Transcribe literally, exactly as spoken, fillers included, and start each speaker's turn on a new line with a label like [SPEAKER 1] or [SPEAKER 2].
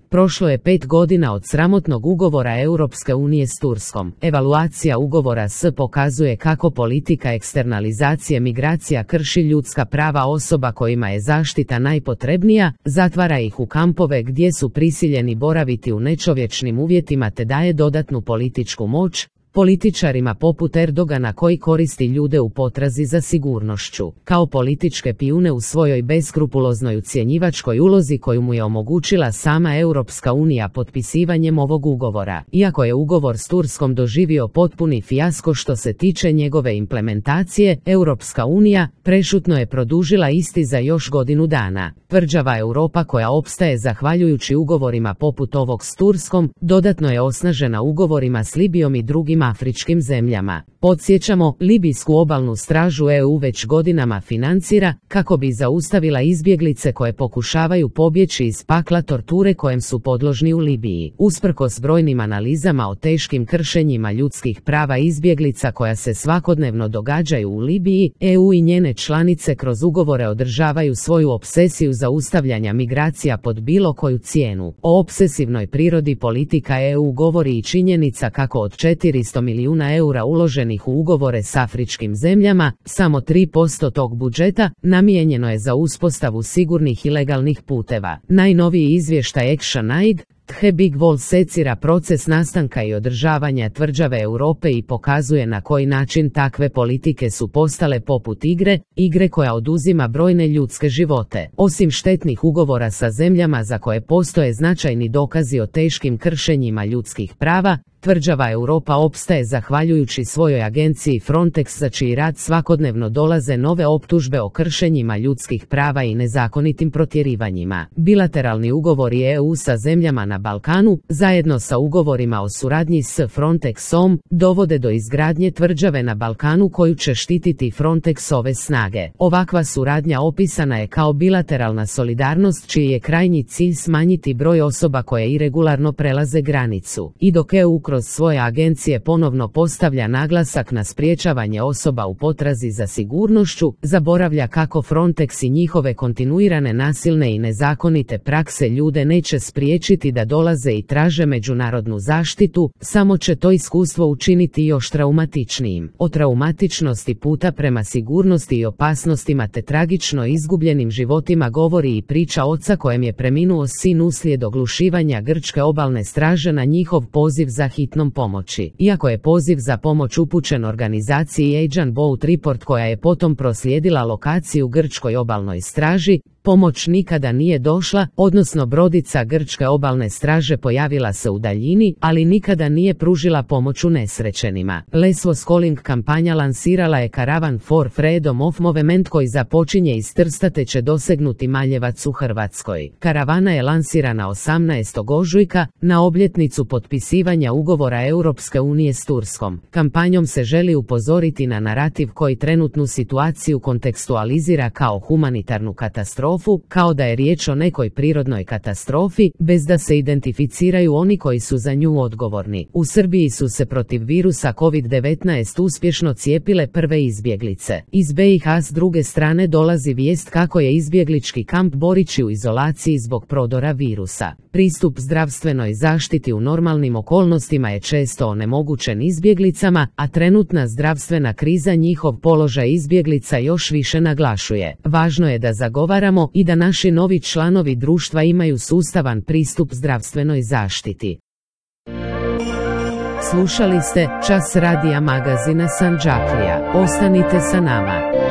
[SPEAKER 1] Prošlo je pet godina od sramotnog ugovora Europske unije s Turskom. Evaluacija ugovora S pokazuje kako politika eksternalizacije migracija krši ljudska prava osoba kojima je zaštita najpotrebnija, zatvara ih u kampove gdje su prisiljeni boraviti u nečovječnim uvjetima te daje dodatnu političku moć političarima poput Erdogana koji koristi ljude u potrazi za sigurnošću, kao političke pijune u svojoj beskrupuloznoj ucjenjivačkoj ulozi koju mu je omogućila sama Europska unija potpisivanjem ovog ugovora. Iako je ugovor s Turskom doživio potpuni fijasko što se tiče njegove implementacije, Europska unija prešutno je produžila isti za još godinu dana. Tvrđava Europa koja opstaje zahvaljujući ugovorima poput ovog s Turskom, dodatno je osnažena ugovorima s Libijom i drugim afričkim zemljama. Podsjećamo, libijsku obalnu stražu E U već godinama financira kako bi zaustavila izbjeglice koje pokušavaju pobjeći iz pakla torture kojem su podložni u Libiji. Usprkos brojnim analizama o teškim kršenjima ljudskih prava izbjeglica koja se svakodnevno događaju u Libiji, E U i njene članice kroz ugovore održavaju svoju opsesiju zaustavljanja migracija pod bilo koju cijenu. O opsesivnoj prirodi politika E U govori i činjenica kako od četiristo milijuna eura uloženih u ugovore s afričkim zemljama, samo tri posto tog budžeta namijenjeno je za uspostavu sigurnih i legalnih puteva. Najnoviji izvještaj Action Aid The Big Wall secira proces nastanka i održavanja tvrđave Europe i pokazuje na koji način takve politike su postale poput igre, igre koja oduzima brojne ljudske živote. Osim štetnih ugovora sa zemljama za koje postoje značajni dokazi o teškim kršenjima ljudskih prava, tvrđava Europa opstaje zahvaljujući svojoj agenciji Frontex za čiji rad svakodnevno dolaze nove optužbe o kršenjima ljudskih prava i nezakonitim protjerivanjima. Bilateralni ugovori E U sa zemljama na Balkanu, zajedno sa ugovorima o suradnji s Frontexom, dovode do izgradnje tvrđave na Balkanu koju će štititi Frontexove snage. Ovakva suradnja opisana je kao bilateralna solidarnost čiji je krajnji cilj smanjiti broj osoba koje iregularno prelaze granicu. I dok E U kroz svoje agencije ponovno postavlja naglasak na sprječavanje osoba u potrazi za sigurnošću, zaboravlja kako Frontex i njihove kontinuirane nasilne i nezakonite prakse ljude neće spriječiti da dolaze i traže međunarodnu zaštitu, samo će to iskustvo učiniti još traumatičnijim. O traumatičnosti puta prema sigurnosti i opasnostima te tragično izgubljenim životima govori i priča oca kojem je preminuo sin uslijed oglušivanja grčke obalne straže na njihov poziv za hitnom pomoći. Iako je poziv za pomoć upućen organizaciji Agent Boat Report koja je potom proslijedila lokaciju grčkoj obalnoj straži, pomoć nikada nije došla, odnosno brodica grčke obalne straže pojavila se u daljini, ali nikada nije pružila pomoć unesrećenima. Lesvos Calling kampanja lansirala je Caravan for Freedom of Movement koji započinje iz Trsta te će dosegnuti Maljevac u Hrvatskoj. Karavana je lansirana osamnaestog ožujka, na obljetnicu potpisivanja ugovora Europske unije s Turskom. Kampanjom se želi upozoriti na narativ koji trenutnu situaciju kontekstualizira kao humanitarnu katastrofu, kao da je riječ o nekoj prirodnoj katastrofi, bez da se identificiraju oni koji su za nju odgovorni. U Srbiji su se protiv virusa kovid devetnaest uspješno cijepile prve izbjeglice. Iz B i H s druge strane dolazi vijest kako je izbjeglički kamp Borići u izolaciji zbog prodora virusa. Pristup zdravstvenoj zaštiti u normalnim okolnostima je često onemogućen izbjeglicama, a trenutna zdravstvena kriza njihov položaj izbjeglica još više naglašuje. Važno je da zagovaramo i da naši novi članovi društva imaju sustavan pristup zdravstvenoj zaštiti. Slušali ste Čas radija magazina Sandžaklija. Ostanite sa nama.